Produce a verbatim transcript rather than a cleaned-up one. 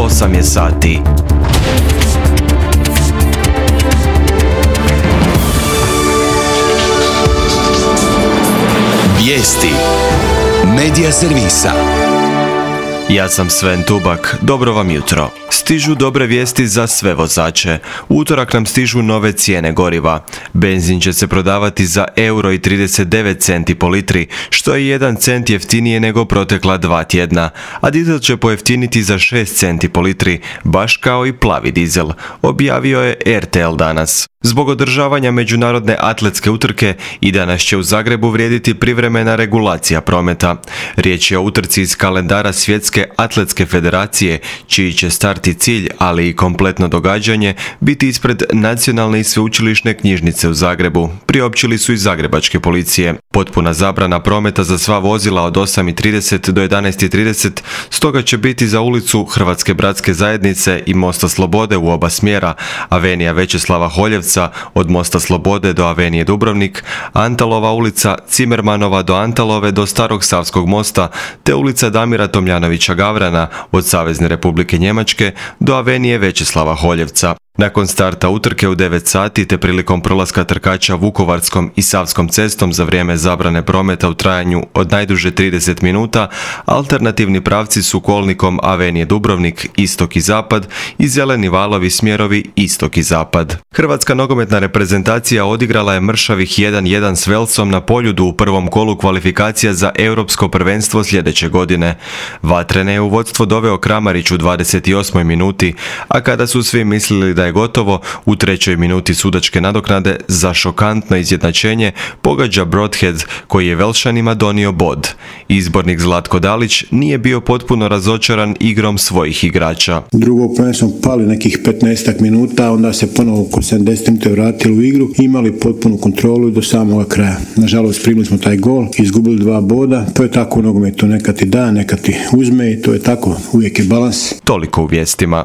osam je sati. Vijesti Medija servisa. Ja sam Sven Tubak, dobro vam jutro. Stižu dobre vijesti za sve vozače. U utorak nam stižu nove cijene goriva. Benzin će se prodavati za euro i trideset devet centi po litri, što je jedan cent jeftinije nego protekla dva tjedna, a dizel će pojeftiniti za šest centi po litri, baš kao i plavi dizel, objavio je er te el danas. Zbog održavanja međunarodne atletske utrke i danas će u Zagrebu vrijediti privremena regulacija prometa. Riječ je o utrci iz kalendara Svjetske atletske federacije, čiji će start i cilj, ali i kompletno događanje, biti ispred Nacionalne i sveučilišne knjižnice u Zagrebu, priopćili su iz zagrebačke policije. Potpuna zabrana prometa za sva vozila od osam i trideset do jedanaest i trideset, stoga će biti za ulicu Hrvatske bratske zajednice i Mosta Slobode u oba smjera, Avenija Većeslava Holjevca od Mosta Slobode do Avenije Dubrovnik, Antalova ulica, Cimermanova do Antalove do Starog Savskog mosta, te ulica Damira Tomljanovića Gavrana od Savezne Republike Njemačke do Avenije Većeslava Holjevca. Nakon starta utrke u devet sati te prilikom prolaska trkača Vukovarskom i Savskom cestom za vrijeme zabrane prometa u trajanju od najduže trideset minuta, alternativni pravci su kolnikom Avenije Dubrovnik, istok i zapad i zeleni valovi smjerovi istok i zapad. Hrvatska nogometna reprezentacija odigrala je mršavih jedan jedan s Velsom na Poljudu u prvom kolu kvalifikacija za europsko prvenstvo sljedeće godine. Vatrene je u vodstvo doveo Kramarić u dvadeset osmoj minuti, a kada su svi mislili da je gotovo, u trećoj minuti sudačke nadoknade za šokantno izjednačenje pogađa Broadhead, koji je Velšanima donio bod. Izbornik Zlatko Dalić nije bio potpuno razočaran igrom svojih igrača. Drugo prvenstvo smo pali nekih petnaest minuta, onda se ponovo oko sedamdeset minuta vratili u igru, imali potpunu kontrolu do samoga kraja. Nažalost, primili smo taj gol, izgubili dva boda, to je tako u nogometu, nekad ti da, nekad ti uzme i to je tako, uvijek je balans. Toliko u vijestima.